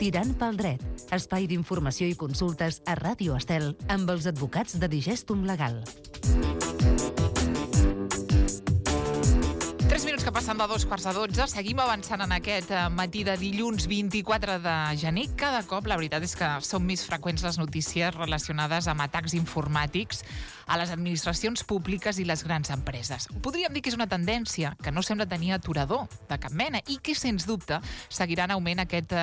Tirant pel dret, espai d'informació i consultes a Ràdio Estel amb els advocats de Digestum Legal. 3 minuts que passen de 2:15. Seguim avançant en aquest matí de dilluns 24 de gener. Cada cop la veritat és que són més freqüents les notícies relacionades amb atacs informàtics a les administracions públiques i les grans empreses. Podríem dir que és una tendència que no sembla tenir aturador de cap mena i que, sens dubte, seguirà en augment aquest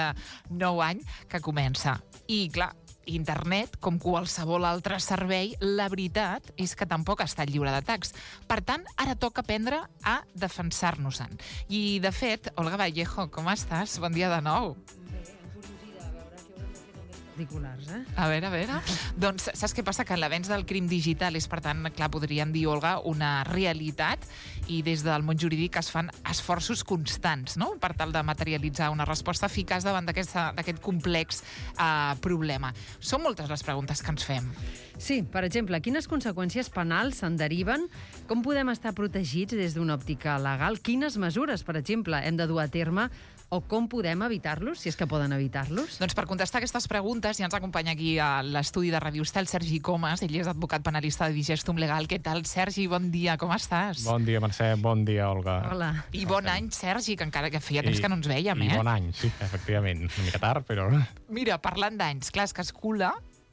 nou any que comença. I, clar, internet, com qualsevol altre servei, la veritat és que tampoc està lliure d'atacs. Per tant, ara toca aprendre a defensar-nos-en. I, de fet, Olga Vallejo, com estàs? Bon dia de nou. Particulars, A veure. Doncs saps què passa? Que l'avenç del crim digital és, per tant, clar, podríem dir, Olga, una realitat, i des del món jurídic es fan esforços constants, no?, per tal de materialitzar una resposta eficaç davant d'aquest complex problema. Són moltes les preguntes que ens fem. Sí, per exemple, quines conseqüències penals se'n deriven? Com podem estar protegits des d'una òptica legal? Quines mesures, per exemple, hem de dur a terme? O com podem evitar-los, si és que poden evitar-los? Doncs per contestar aquestes preguntes ja ens acompanya aquí a l'estudi de Ràdio Estel Sergi Comas. Ell és advocat penalista de Digestum Legal. Què tal, Sergi? Bon dia, com estàs? Bon dia, Mercè. Bon dia, Olga. Hola. I bon any, Sergi, que encara que feia temps que no ens vèiem, I bon any, sí, efectivament. Una mica tard, però... Mira, parlant d'anys, clar, és que es cula...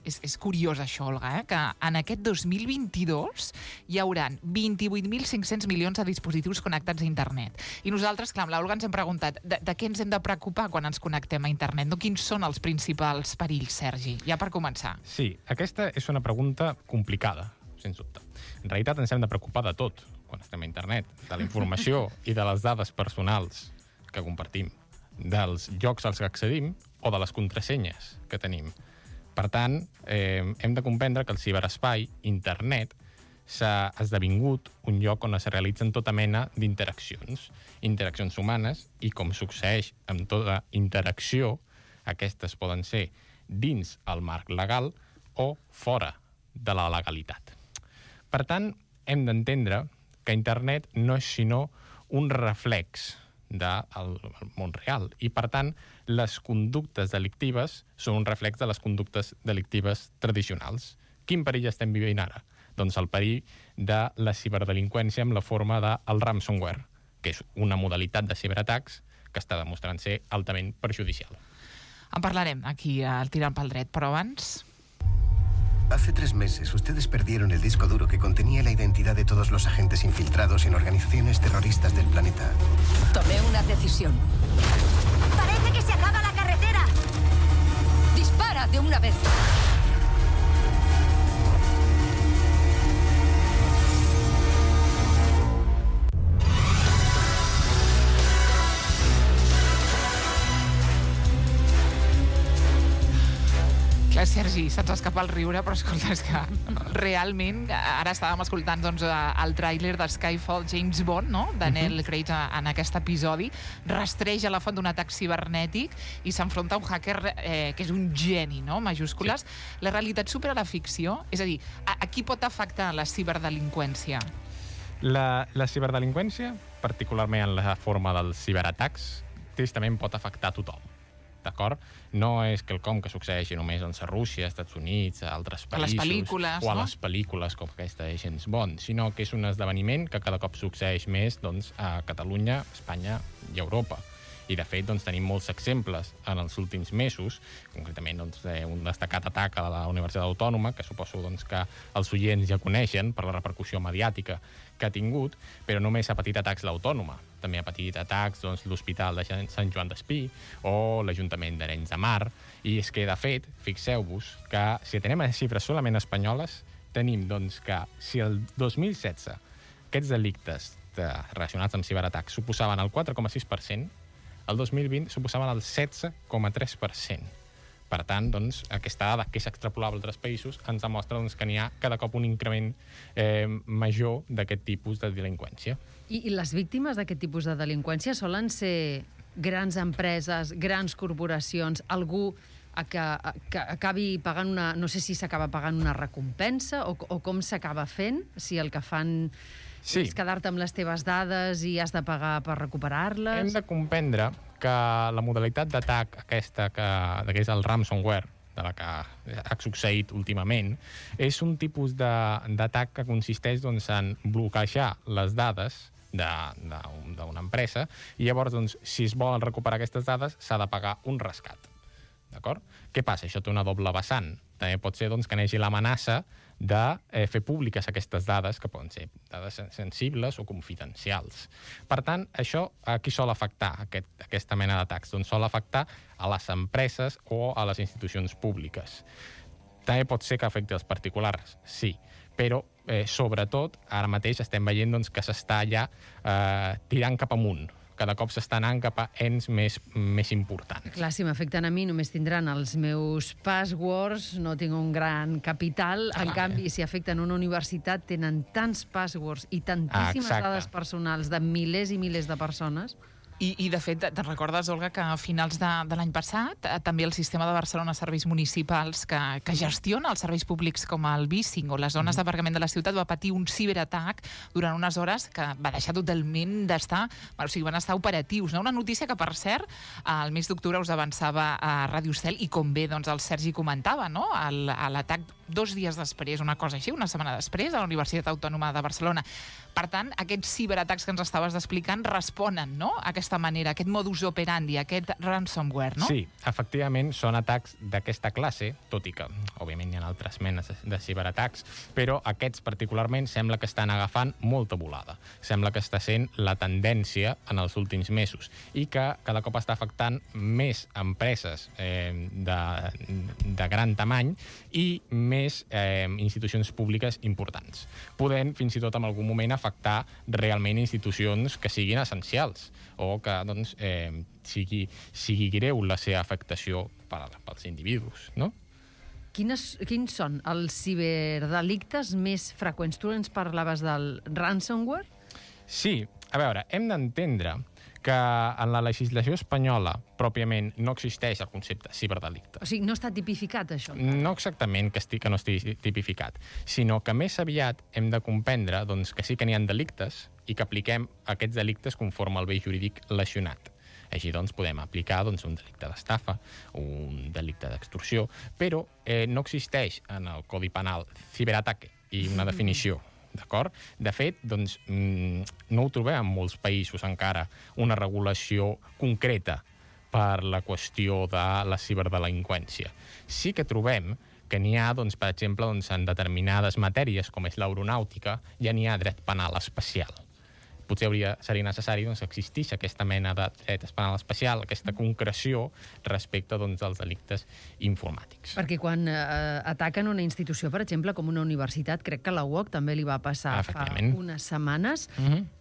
És curiós això, Olga, que en aquest 2022 hi haurà 28.500 milions de dispositius connectats a internet. I nosaltres, clar, amb l'Olga ens hem preguntat de què ens hem de preocupar quan ens connectem a internet? No? Quins són els principals perills, Sergi? Ja per començar. Sí, aquesta és una pregunta complicada, sens dubte. En realitat ens hem de preocupar de tot quan estem a internet, de la informació i de les dades personals que compartim, dels llocs als que accedim o de les contrasenyes que tenim. Per tant, hem de comprendre que el ciberespai, internet, s'ha esdevingut un lloc on es realitzen tota mena d'interaccions, interaccions humanes, i com succeeix amb tota interacció, aquestes poden ser dins el marc legal o fora de la legalitat. Per tant, hem d'entendre que internet no és sinó un reflex del món real, i per tant les conductes delictives són un reflex de les conductes delictives tradicionals. Quin perill estem vivint ara? Doncs el perill de la ciberdelinqüència amb la forma del ransomware, que és una modalitat de ciberatacs que està demostrant ser altament perjudicial. En parlarem aquí al Tirant pel Dret, però abans... Hace 3 meses, ustedes perdieron el disco duro que contenía la identidad de todos los agentes infiltrados en organizaciones terroristas del planeta. Tomé una decisión. ¡Parece que se acaba la carretera! ¡Dispara de una vez! Sergi, se'ns escapa el riure, però escolta, és que realment, ara estàvem escoltant doncs, el tràiler de Skyfall, James Bond, no?, Daniel Craig en aquest episodi, rastreja la font d'un atac cibernètic i s'enfronta a un hacker que és un geni, no?, majúscules. Sí. La realitat supera la ficció? És a dir, a qui pot afectar la ciberdelinqüència? La ciberdelinqüència, particularment en la forma dels ciberatacs, tristament pot afectar a tothom. D'acord? No és quelcom que succeeixi només a Rússia, als Estats Units, a altres països, a les pel·lícules, o a les pel·lícules com aquesta de James Bond, sinó que és un esdeveniment que cada cop succeeix més doncs, a Catalunya, Espanya i Europa. I, de fet, doncs, tenim molts exemples en els últims mesos, concretament doncs, un destacat atac a la Universitat Autònoma, que suposo doncs, que els oients ja coneixen per la repercussió mediàtica que ha tingut, però només ha patit atacs l'Autònoma. També ha patit atacs doncs, l'Hospital de Sant Joan d'Espí o l'Ajuntament d'Arenys de Mar. I és que, de fet, fixeu-vos que si atenem a xifres solament espanyoles, tenim doncs, que si el 2016 aquests delictes relacionats amb ciberatacs suposaven el 4,6%, el 2020 suposaven el 16,3%. Per tant, doncs, aquesta dada que s'extrapolava a altres països ens demostra doncs, que n'hi ha cada cop un increment major d'aquest tipus de delinqüència. I les víctimes d'aquest tipus de delinqüència solen ser grans empreses, grans corporacions, algú que acabi pagant una... No sé si s'acaba pagant una recompensa o com s'acaba fent, si el que fan... Sí. És quedar-te amb les teves dades i has de pagar per recuperar-les? Hem de comprendre que la modalitat d'atac aquesta, que és el ransomware, de la que ha succeït últimament, és un tipus d'atac que consisteix en bloquejar les dades d'una empresa i llavors, si es volen recuperar aquestes dades, s'ha de pagar un rescat. D'acord? Què passa? Això té una doble vessant. També pot ser que n'hi hagi l'amenaça de fer públiques aquestes dades, que poden ser dades sensibles o confidencials. Per tant, això a qui sol afectar, aquesta mena d'atacs? Doncs sol afectar a les empreses o a les institucions públiques. També pot ser que afecti els particulars, sí, però sobretot ara mateix estem veient que s'està ja tirant cap amunt. Cada cop s'està anant cap a ens més importants. Clar, si m'afecten a mi, només tindran els meus passwords, no tinc un gran capital. En canvi, si afecten una universitat, tenen tants passwords i tantíssimes dades personals de milers i milers de persones. I de fet, te'n recordes, Olga, que a finals de l'any passat també el sistema de Barcelona Serveis Municipals que gestiona els serveis públics com el Bicing o les zones d'aparcament de la ciutat va patir un ciberatac durant unes hores que va deixar totalment d'estar, o sigui, van estar operatius. Una notícia que, per cert, al mes d'octubre us avançava a Ràdio Estel i com bé el Sergi comentava, l'atac 2 dies després, una cosa així, una setmana després, a la Universitat Autònoma de Barcelona. Per tant, aquests ciberatacs que ens estaves explicant responen, no?, a aquesta manera, aquest modus operandi, aquest ransomware, no? Sí, efectivament, són atacs d'aquesta classe, tot i que, òbviament, hi ha altres menes de ciberatacs, però aquests particularment sembla que estan agafant molta volada. Sembla que està sent la tendència en els últims mesos i que cada cop està afectant més empreses de gran tamany i més institucions públiques importants, podent fins i tot en algun moment afectar realment institucions que siguin essencials o que sigui greu la seva afectació pels individus, no? Quins són els ciberdelictes més freqüents? Tu ens parlaves del ransomware? Sí, a veure, hem d'entendre que en la legislació espanyola pròpiament no existeix el concepte ciberdelicte. O sigui, no està tipificat, això? No exactament que no estigui tipificat, sinó que més aviat hem de comprendre que sí que n'hi ha delictes i que apliquem aquests delictes conforme al bé jurídic lesionat. Així podem aplicar un delicte d'estafa, un delicte d'extorsió, però no existeix en el Codi Penal ciberataque i una definició. D'acord? De fet, no ho trobem en molts països encara una regulació concreta per la qüestió de la ciberdelinqüència. Sí que trobem que n'hi ha, per exemple, en determinades matèries, com és l'aeronàutica, ja n'hi ha dret penal especial. Potser seria necessari que existís aquesta mena de dret penal especial, aquesta concreció respecte als delictes informàtics. Perquè quan ataquen una institució, per exemple, com una universitat, crec que a la UOC també li va passar fa unes setmanes,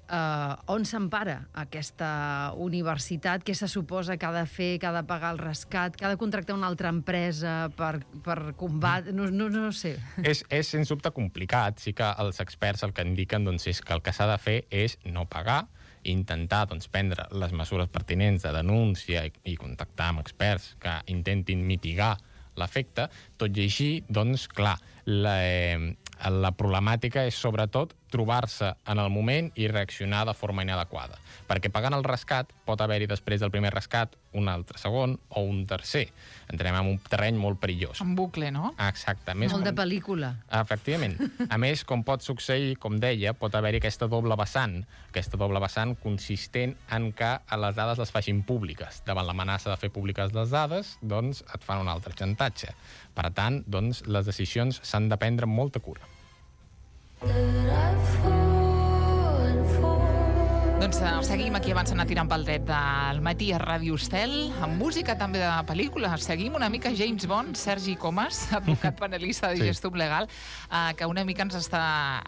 on s'empara aquesta universitat? Què se suposa que ha de fer, que ha de pagar el rescat, que ha de contractar una altra empresa per combat? No sé. És sens dubte complicat. Sí que els experts el que indiquen és que el que s'ha de fer és no pagar, intentar prendre les mesures pertinents de denúncia i contactar amb experts que intentin mitigar l'efecte. Tot i així, clar, la problemàtica és sobretot trobar-se en el moment i reaccionar de forma inadequada. Perquè pagant el rescat pot haver-hi després del primer rescat un altre segon o un tercer. Entrem en un terreny molt perillós. En bucle, no? Exacte. Molt de pel·lícula. Efectivament. A més, com pot succeir, com deia, pot haver-hi aquesta doble vessant consistent en que les dades les facin públiques. Davant l'amenaça de fer públiques les dades, et fan un altre xantatge. Per tant, les decisions s'han de prendre amb molta cura. Seguim aquí avançant a tirant pel dret del matí a Ràdio Estel, amb música també de pel·lícula. Seguim una mica James Bond, Sergi Comas, advocat penalista de Gestum Legal, que una mica ens està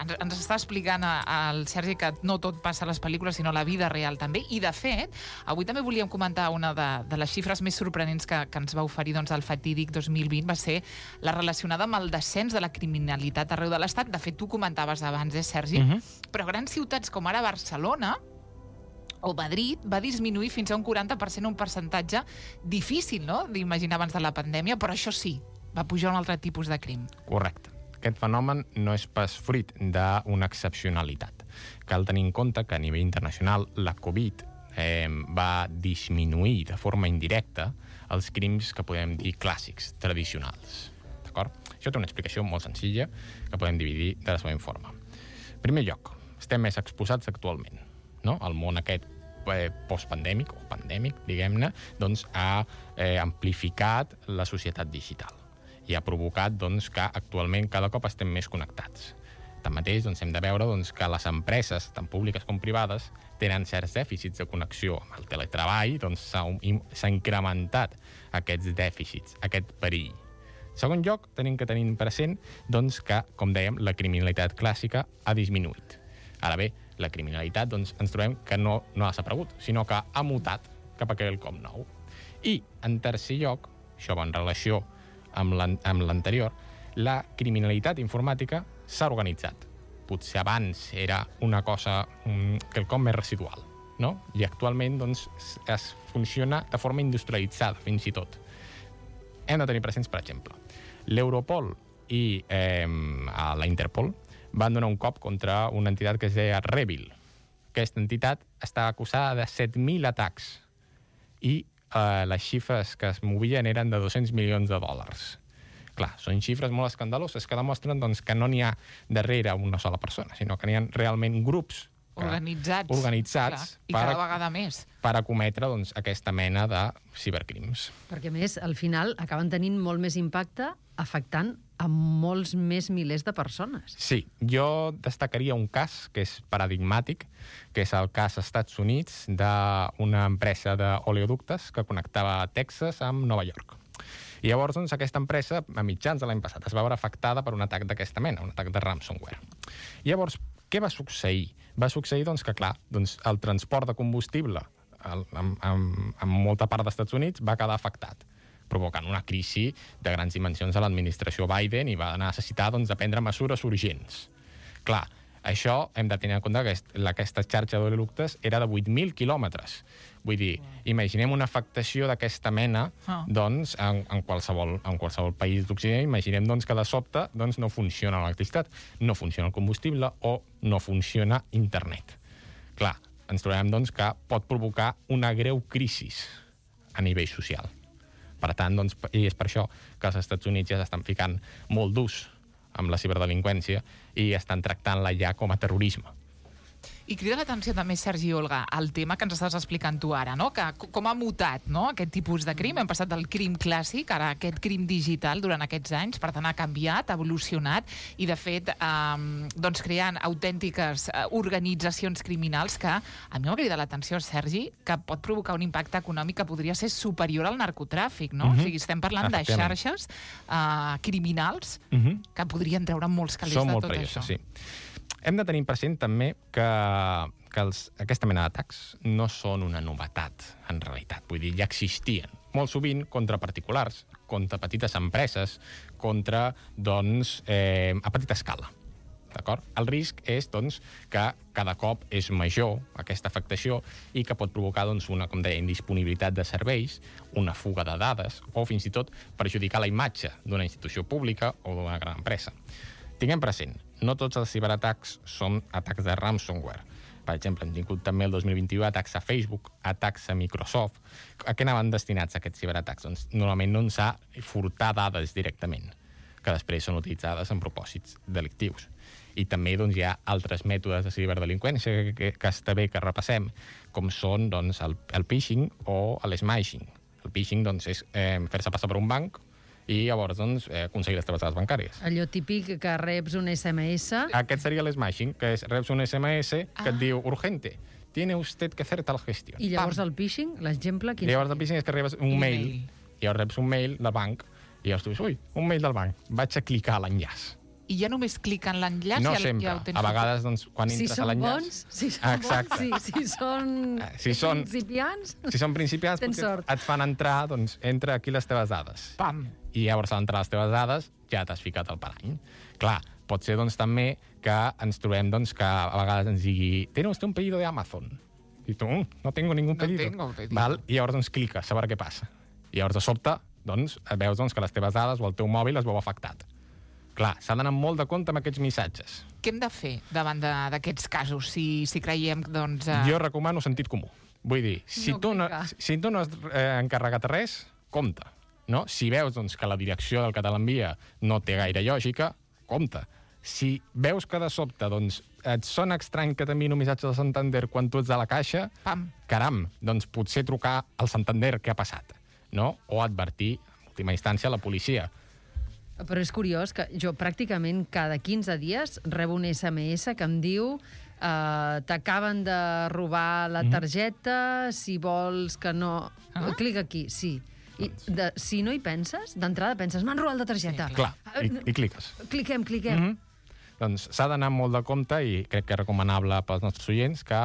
explicant al Sergi que no tot passa a les pel·lícules, sinó a la vida real també. I, de fet, avui també volíem comentar una de les xifres més sorprenents que ens va oferir el fatídic 2020, va ser la relacionada amb el descens de la criminalitat arreu de l'Estat. De fet, tu comentaves abans, Sergi? Però grans ciutats com ara Barcelona o Madrid va disminuir fins a un 40%, un percentatge difícil, no?, d'imaginar abans de la pandèmia, però això sí, va pujar un altre tipus de crim. Correcte. Aquest fenomen no és pas fruit d'una excepcionalitat. Cal tenir en compte que a nivell internacional la Covid va disminuir de forma indirecta els crims que podem dir clàssics, tradicionals. D'acord? Això té una explicació molt senzilla que podem dividir de la següent forma. En primer lloc, estem més exposats actualment, no? El món aquest postpandèmic, o pandèmic, diguem-ne, doncs ha amplificat la societat digital i ha provocat doncs, que actualment cada cop estem més connectats. Tanmateix, doncs, hem de veure doncs, que les empreses, tant públiques com privades, tenen certs dèficits de connexió amb el teletreball, doncs s'ha incrementat aquests dèficits, aquest perill. En segon lloc, tenim que tenir present doncs, que, com dèiem, la criminalitat clàssica ha disminuït. Ara bé, la criminalitat doncs, ens trobem que no ha desaparegut, sinó que ha mutat cap a quelcom nou. I, en tercer lloc, això va en relació amb l'anterior, la criminalitat informàtica s'ha organitzat. Potser abans era una cosa quelcom més residual, no? I actualment doncs, es funciona de forma industrialitzada, fins i tot. Hem de tenir presents, per exemple, l'Europol i la Interpol van donar un cop contra una entitat que es deia Revil. Aquesta entitat estava acusada de 7.000 atacs i les xifres que es movien eren de $200 milions. Clar, són xifres molt escandaloses que demostren doncs, que no n'hi ha darrere una sola persona, sinó que n'hi ha realment grups organitzats i cada vegada més per acometre doncs, aquesta mena de cibercrims. Perquè, a més, al final acaben tenint molt més impacte afectant a molts més milers de persones. Sí, jo destacaria un cas que és paradigmàtic, que és el cas als Estats Units d'una empresa d'oleoductes que connectava Texas amb Nova York. I llavors, doncs, aquesta empresa, a mitjans de l'any passat, es va veure afectada per un atac d'aquesta mena, un atac de ransomware. I llavors, què va succeir? Va succeir doncs, que, clar, doncs, el transport de combustible en molta part dels Estats Units va quedar afectat, provocant una crisi de grans dimensions a l'administració Biden i va necessitar doncs, de prendre mesures urgents. Clar, això hem de tenir en compte que aquesta xarxa d'oleoductes era de 8.000 quilòmetres. Vull dir, imaginem una afectació d'aquesta mena doncs, en qualsevol país d'Occident. Imaginem doncs, que de sobte doncs, no funciona l'electricitat, no funciona el combustible o no funciona internet. Clar, ens trobem doncs, que pot provocar una greu crisi a nivell social. Per tant, doncs, i és per això que els Estats Units ja s'estan ficant molt durs amb la ciberdelinqüència i estan tractant-la ja com a terrorisme. I crida l'atenció també, Sergi i Olga, el tema que ens estàs explicant tu ara, no? Que com ha mutat, no?, aquest tipus de crim. Hem passat del crim clàssic ara a aquest crim digital durant aquests anys, per tant ha canviat, ha evolucionat i, de fet, doncs creant autèntiques organitzacions criminals que a mi m'ha cridat l'atenció, Sergi, que pot provocar un impacte econòmic que podria ser superior al narcotràfic, no? O sigui, estem parlant de xarxes criminals que podrien treure molts calés de tot això. Sí. Hem de tenir present també que aquesta mena d'atacs no són una novetat, en realitat. Vull dir, ja existien. Molt sovint contra particulars, contra petites empreses, contra, doncs, a petita escala. D'acord? El risc és, doncs, que cada cop és major aquesta afectació i que pot provocar, doncs, una, com deia, indisponibilitat de serveis, una fuga de dades o, fins i tot, perjudicar la imatge d'una institució pública o d'una gran empresa. Tinguem present, no tots els ciberatacs són atacs de ransomware. Per exemple, hem tingut també el 2021 atacs a Facebook, atacs a Microsoft. A què anaven destinats aquests ciberatacs? Doncs normalment no ens ha furtar dades directament, que després són utilitzades en propòsits delictius. I també doncs, hi ha altres mètodes de ciberdelinqüència que està bé que repassem, com són doncs, el phishing o l'smashing. El phishing doncs, és fer-se passar per un banc i llavors doncs, aconseguir les teves dades bancàries. Allò típic que reps un SMS... Aquest seria l'smashing, que és reps un SMS que et diu urgente, tiene usted que hacer tal gestión. I llavors el phishing, l'exemple... Llavors el phishing és que rebes un mail, i llavors reps un mail del banc, i llavors tu dius, ui, un mail del banc, vaig a clicar a l'enllaç. I ja només clica en l'enllaç? No sempre. Ja a vegades, doncs, quan entres a l'enllaç... Si són bons, si són principiants... Si són principiants, et fan entrar, doncs, entra aquí les teves dades. Pam! I llavors, a l'entrar les teves dades, ja t'has ficat al parany. Clar, pot ser, doncs, també que ens trobem, doncs, que a vegades ens digui «¿Tiene usted un pedido de Amazon?» I tu, no tengo ningún pedido. No tengo pedido. Val? I llavors, doncs, cliques a veure què passa. I llavors, de sobte, doncs, veus doncs, que les teves dades o el teu mòbil es veu afectat. clar, s'ha d'anar molt de compte amb aquests missatges. Què hem de fer davant d'aquests casos, si creiem, doncs... Jo recomano sentit comú. Vull dir, si tu no has encarregat res, compte. No? Si veus doncs, que la direcció del que te l'envia no té gaire lògica, compte. Si veus que de sobte doncs, et sona estrany que t'enviïn un missatge del Santander quan tu ets a la caixa, caram, doncs potser trucar al Santander què ha passat, no? O advertir, en última instància, a la policia. Però és curiós que jo pràcticament cada 15 dies rebo un SMS que em diu t'acaben de robar la targeta, si vols que no... Clica aquí, sí. I si no hi penses, d'entrada penses, m'han robat la targeta. Sí, clar, i cliques. Cliquem. Doncs s'ha d'anar molt de compte i crec que és recomanable pels nostres oients que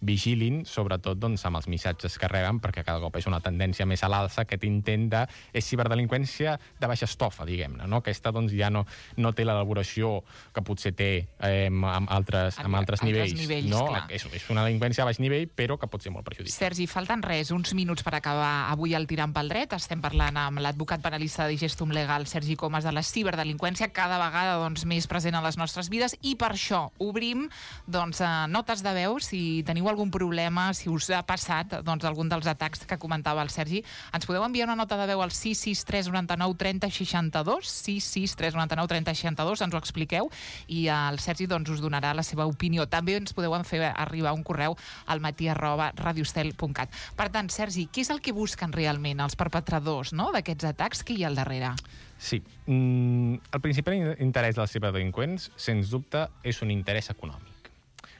vigilin, sobretot doncs, amb els missatges que reben, perquè cada cop és una tendència més a l'alça aquest intent de... És ciberdelinqüència de baixa estofa, diguem-ne, no? Aquesta doncs, ja no té l'elaboració que potser té amb altres nivells. No? És una delinqüència a baix nivell, però que pot ser molt perjudicial. Sergi, falten uns minuts per acabar avui el Tirant pel Dret. Estem parlant amb l'advocat penalista de Digestum Legal, Sergi Comas, de la ciberdelinqüència, cada vegada doncs, més present a les nostres vides, i per això obrim notes de veu. Si teniu algun problema, si us ha passat algun dels atacs que comentava el Sergi, ens podeu enviar una nota de veu al 663 99 30 62, 663 99 30 62, ens ho expliqueu i el Sergi us donarà la seva opinió. També ens podeu fer arribar un correu al matí@radiostel.cat. Per tant, Sergi, què és el que busquen realment els perpetradors d'aquests atacs? Què hi ha al darrere? Sí. El principal interès dels ciberdelinqüents, sens dubte, és un interès econòmic.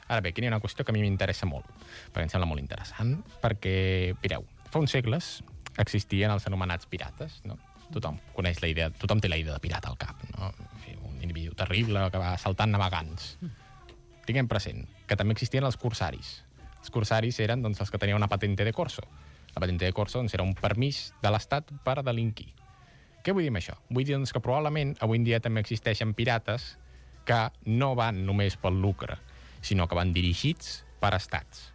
Ara bé, aquí hi ha una qüestió que a mi m'interessa molt, perquè em sembla molt interessant, perquè, mireu, fa uns segles existien els anomenats pirates, no? Tothom té la idea de pirata al cap, no? Un individu terrible que va saltant navegants. Tinguem present que també existien els corsaris. Els corsaris eren els que tenien una patente de corso. La patente de corso era un permís de l'Estat per delinquir. Què vull dir amb això? Vull dir que probablement avui en dia també existeixen pirates que no van només pel lucre, sinó que van dirigits per estats.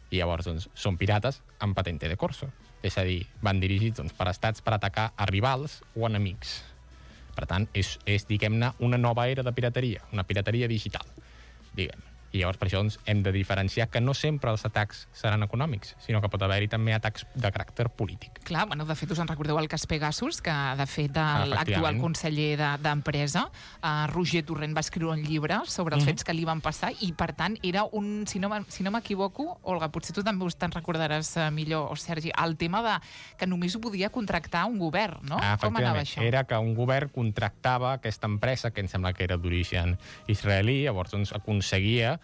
I llavors són pirates amb patente de corso. És a dir, van dirigits per estats per atacar a rivals o enemics. Per tant, és diguem-ne, una nova era de pirateria, una pirateria digital, diguem. I llavors per això hem de diferenciar que no sempre els atacs seran econòmics, sinó que pot haver-hi també atacs de caràcter polític. Clar, de fet us en recordeu el cas Pegasus, que de fet l'actual conseller d'Empresa, Roger Torrent, va escriure un llibre sobre els fets que li van passar i per tant era un, si no m'equivoco, Olga, potser tu també te'n recordaràs millor, o Sergi, el tema de que només ho podia contractar un govern, no? Com anava això? Era que un govern contractava aquesta empresa, que em sembla que era d'origen israelí, llavors aconseguia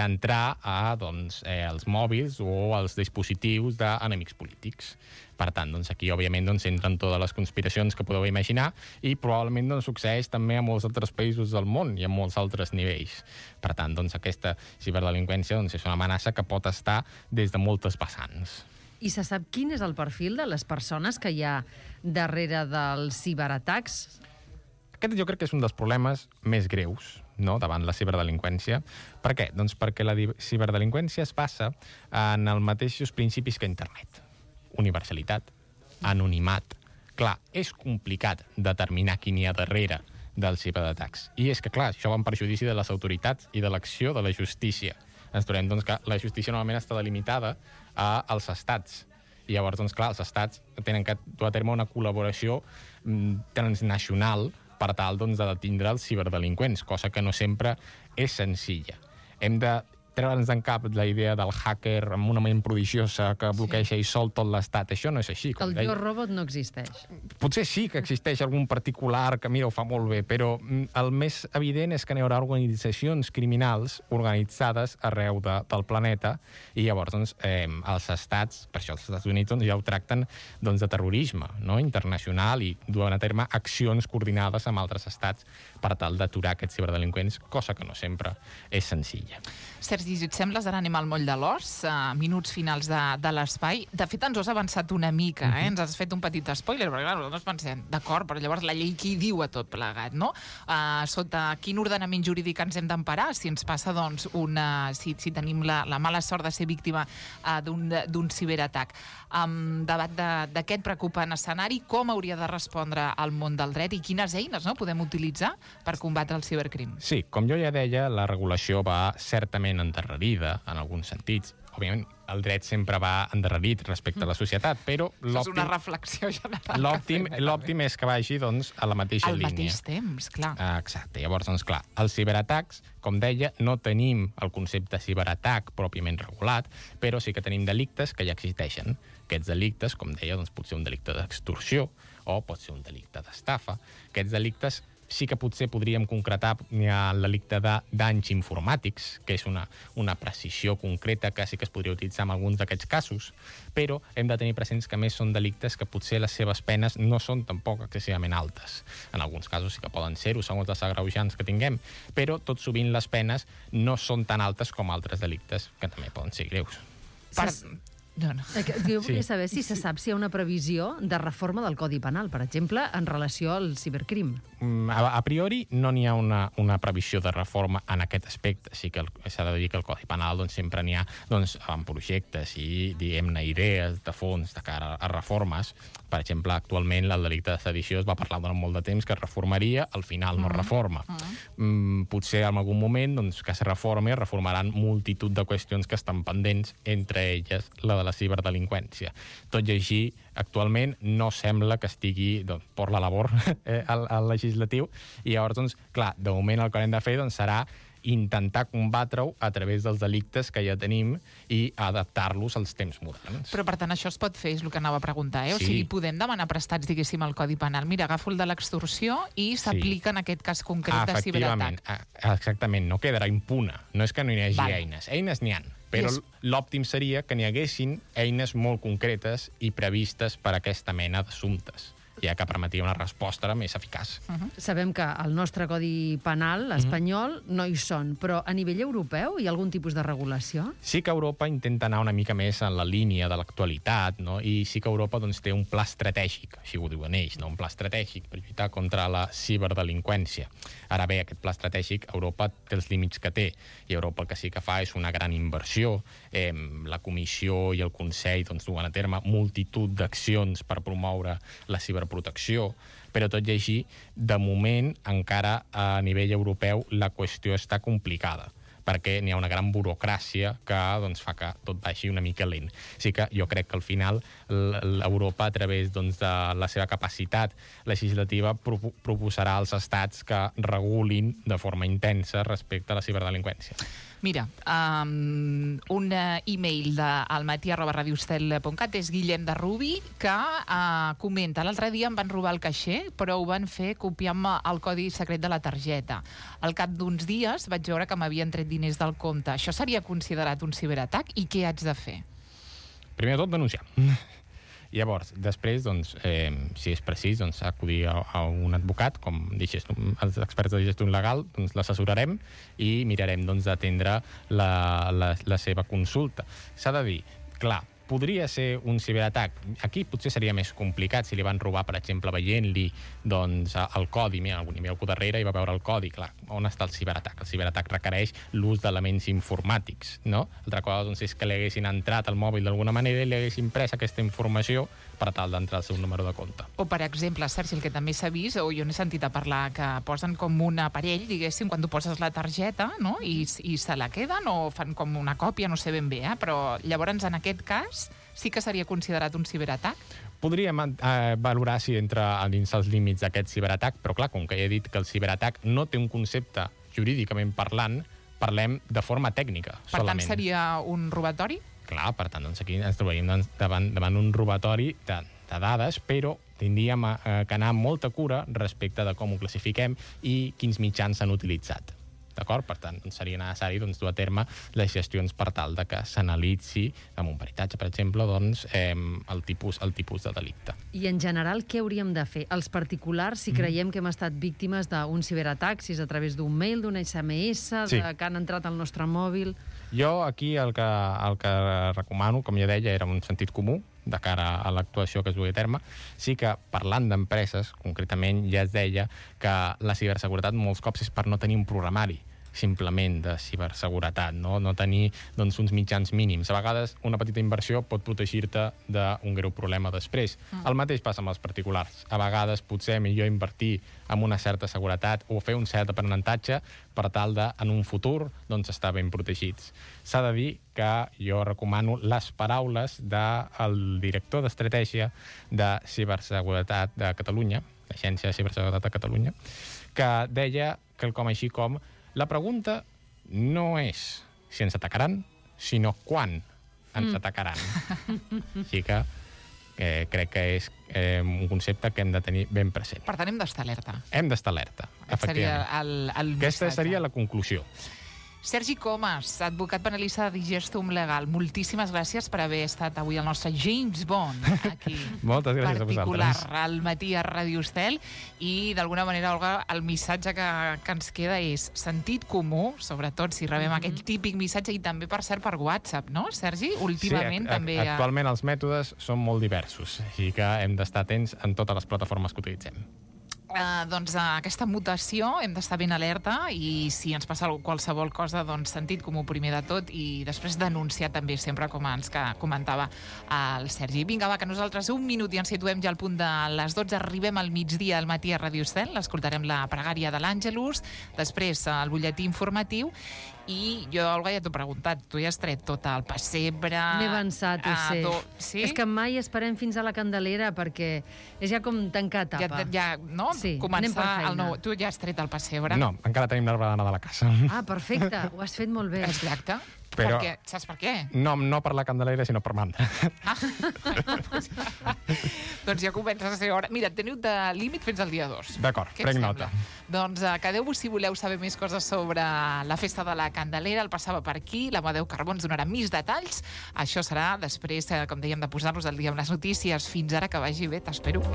entrar als mòbils o als dispositius d'enemics polítics. Per tant, aquí, òbviament, entren totes les conspiracions que podeu imaginar i probablement succeeix també a molts altres països del món i a molts altres nivells. Per tant, aquesta ciberdelinqüència és una amenaça que pot estar des de moltes vessants. I se sap quin és el perfil de les persones que hi ha darrere dels ciberatacs? Aquest jo crec que és un dels problemes més greus davant la ciberdelinqüència. Per què? Doncs perquè la ciberdelinqüència es basa en els mateixos principis que internet. Universalitat, anonimat. Clar, és complicat determinar qui hi ha darrere dels ciberatacs. I és que, clar, això va en perjudici de les autoritats i de l'acció de la justícia. Ens trobem que la justícia normalment està delimitada als estats. I llavors, clar, els estats tenen que dur a terme una col·laboració transnacional per tal de detindre els ciberdelinqüents, cosa que no sempre és senzilla. Hem de treure'ns d'en cap la idea del hacker amb una ment prodigiosa que bloqueja i sol tot l'estat. Això no és així. El Yo Robot no existeix. Potser sí que existeix algun particular que, mira, ho fa molt bé, però el més evident és que hi haurà organitzacions criminals organitzades arreu del planeta i llavors els estats, per això els Estats Units ja ho tracten de terrorisme internacional i duen a terme accions coordinades amb altres estats per tal d'aturar aquests ciberdelinqüents, cosa que no sempre és senzilla. Sergi, llegit Sembles de l'Animal Moll de l'Os, minuts finals de l'espai. De fet, ens ho has avançat una mica, ens has fet un petit spoiler, perquè clar, nosaltres pensem, d'acord, però llavors la llei qui diu a tot plegat, no? Sota quin ordenament jurídic ens hem d'emparar si ens passa, doncs, si tenim la mala sort de ser víctima d'un ciberatac. Davant d'aquest preocupant escenari, com hauria de respondre el món del dret i quines eines podem utilitzar per combatre el cibercrim? Sí, com jo ja deia, la regulació va certament endarrerida, en alguns sentits. Òbviament, el dret sempre va endarrerit respecte a la societat, però és una reflexió general. L'òptim és que vagi, doncs, a la mateixa línia. Al mateix temps, clar. Exacte. Llavors, doncs, clar, els ciberatacs, com deia, no tenim el concepte ciberatac pròpiament regulat, però sí que tenim delictes que ja existeixen. Aquests delictes, com deia, doncs, pot ser un delicte d'extorsió o pot ser un delicte d'estafa. Aquests delictes sí que potser podríem concretar el delicte de danys informàtics, que és una precisió concreta que sí que es podria utilitzar en alguns d'aquests casos, però hem de tenir presents que més són delictes que potser les seves penes no són tampoc excessivament altes. En alguns casos sí que poden ser-ho, segons els agreujants que tinguem, però tot sovint les penes no són tan altes com altres delictes, que també poden ser greus. Jo volia saber si se sap si hi ha una previsió de reforma del Codi Penal, per exemple, en relació al cibercrim. A priori no n'hi ha una previsió de reforma en aquest aspecte. Sí que s'ha de dir que el Codi Penal sempre n'hi ha en projectes i, diguem-ne, idees de fons de cara a reformes. Per exemple, actualment el delicte de sedició es va parlar durant molt de temps que es reformaria, al final no es reforma. Potser en algun moment que es reformaran multitud de qüestions que estan pendents, entre elles la de la ciberdelinqüència. Tot i així, actualment no sembla que estigui per la labor al legislatiu i llavors, clar, de moment el que hem de fer serà intentar combatre-ho a través dels delictes que ja tenim i adaptar-los als temps moderns. Però, per tant, això es pot fer, és el que anava a preguntar, O sigui, podem demanar prestats, diguéssim, al Codi Penal. Mira, agafo el de l'extorsió i s'aplica en aquest cas concret de ciberatac. Exactament, no quedarà impune. No és que no hi hagi eines. Eines n'hi ha, però l'òptim seria que n'hi haguessin eines molt concretes i previstes per a aquesta mena d'assumptes, ja que permetia una resposta més eficaç. Sabem que al nostre Codi Penal espanyol no hi són, però a nivell europeu hi ha algun tipus de regulació? Sí que Europa intenta anar una mica més en la línia de l'actualitat, i sí que Europa té un pla estratègic, així ho diuen ells, un pla estratègic per lluitar contra la ciberdelinqüència. Ara bé, aquest pla estratègic, Europa té els límits que té, i Europa el que sí que fa és una gran inversió. La Comissió i el Consell duen a terme multitud d'accions per promoure la ciberprotecció, però tot i així, de moment, encara a nivell europeu, la qüestió està complicada, perquè n'hi ha una gran burocràcia que fa que tot vagi una mica lent. Així que jo crec que al final l'Europa, a través de la seva capacitat legislativa, proposarà als estats que regulin de forma intensa respecte a la ciberdelinqüència. Mira, un e-mail d'almatí@radioestel.cat és Guillem de Rubi, que comenta: l'altre dia em van robar el caixer, però ho van fer copiant-me el codi secret de la targeta. Al cap d'uns dies vaig veure que m'havien tret diners del compte. Això seria considerat un ciberatac? I què haig de fer? Primer de tot, denunciar. Llavors, després, si és precís, acudir a un advocat, com els experts de gestió legal, l'assessorarem i mirarem d'atendre la seva consulta. S'ha de dir, clar, podria ser un ciberatac. Aquí potser seria més complicat si li van robar, per exemple, veient-li el codi. Mira, algú al darrere i va veure el codi. Clar, on està el ciberatac? El ciberatac requereix l'ús d'elements informàtics, no? Altra cosa és que li haguessin entrat al mòbil d'alguna manera i li haguessin pres aquesta informació per tal d'entrar al seu número de compte. O, per exemple, Sergi, el que també s'ha vist, o jo n'he sentit a parlar, que posen com un aparell, diguéssim, quan tu poses la targeta, no?, i se la queden o fan com una còpia, no sé ben bé, però llavors, en aquest cas, sí que seria considerat un ciberatac? Podríem valorar si entra dins els límits d'aquest ciberatac, però clar, com que ja he dit que el ciberatac no té un concepte jurídicament parlant, parlem de forma tècnica, solament. Per tant, seria un robatori? Clar, per tant, aquí ens trobaríem davant un robatori de dades, però tindríem que anar amb molta cura respecte de com ho classifiquem i quins mitjans s'han utilitzat. D'acord? Per tant, seria necessari dur a terme les gestions per tal de que s'analitzi, amb un peritatge, per exemple, el tipus de delicte. I en general, què hauríem de fer? Els particulars, si creiem que hem estat víctimes d'un ciberatac, si és a través d'un mail, d'un SMS, que han entrat al nostre mòbil... Jo aquí el que recomano, com ja deia, era un sentit comú de cara a l'actuació que es dugui a terme. Sí que, parlant d'empreses, concretament, ja es deia que la ciberseguretat molts cops és per no tenir un programari simplement de ciberseguretat, no tenir uns mitjans mínims. A vegades una petita inversió pot protegir-te d'un greu problema després. El mateix passa amb els particulars. A vegades potser millor invertir en una certa seguretat o fer un cert aprenentatge per tal de, en un futur, estar ben protegits. S'ha de dir que jo recomano les paraules del director d'estratègia de ciberseguretat de Catalunya, l'Agència de Ciberseguretat de Catalunya, que deia quelcom així com: la pregunta no és si ens atacaran, sinó quan ens atacaran. Així que crec que és un concepte que hem de tenir ben present. Per tant, hem d'estar alerta. Hem d'estar alerta, efectivament. Seria el Aquesta missatge. seria la conclusió. Sergi Comas, advocat penalista de Digestum Legal, moltíssimes gràcies per haver estat avui el nostre James Bond aquí. Moltes gràcies a vosaltres. Particular, al matí a Ràdio Estel. I, d'alguna manera, Olga, el missatge que ens queda és sentit comú, sobretot si rebem aquest típic missatge, i també, per cert, per WhatsApp, no, Sergi? Últimament també... Actualment els mètodes són molt diversos, així que hem d'estar atents en totes les plataformes que utilitzem. Doncs aquesta mutació hem d'estar ben alerta, i si ens passa qualsevol cosa, doncs sentit comú primer de tot, i després denunciar també sempre, com ens comentava el Sergi. Vinga, va, que nosaltres un minut i ens situem ja al punt de les 12, arribem al migdia al matí a Ràdio Estel, escoltarem la pregària de l'Àngelus, després el butlletí informatiu, i jo, Olga, ja t'ho he preguntat, tu ja has tret tot el pessebre... M'he avançat, ho sé. Sí? És que mai esperem fins a la Candelera, perquè és ja com tancar etapa. No? Sí, Començar el nou... Tu ja has tret el pessebre. No, encara tenim l'arbre de Nadal a casa. Ah, perfecte, ho has fet molt bé. Exacte. Però... Saps per què? No per la Candelera, sinó per Manda. Doncs ja comença a ser hora. Mira, teniu de límit fins al dia 2. D'acord, prenc nota. Doncs quedeu-vos si voleu saber més coses sobre la festa de la Candelera. El passava per aquí, l'Amadeu Carbó ens donarà més detalls. Això serà després, com dèiem, de posar-nos al dia amb les notícies. Fins ara, que vagi bé, t'espero.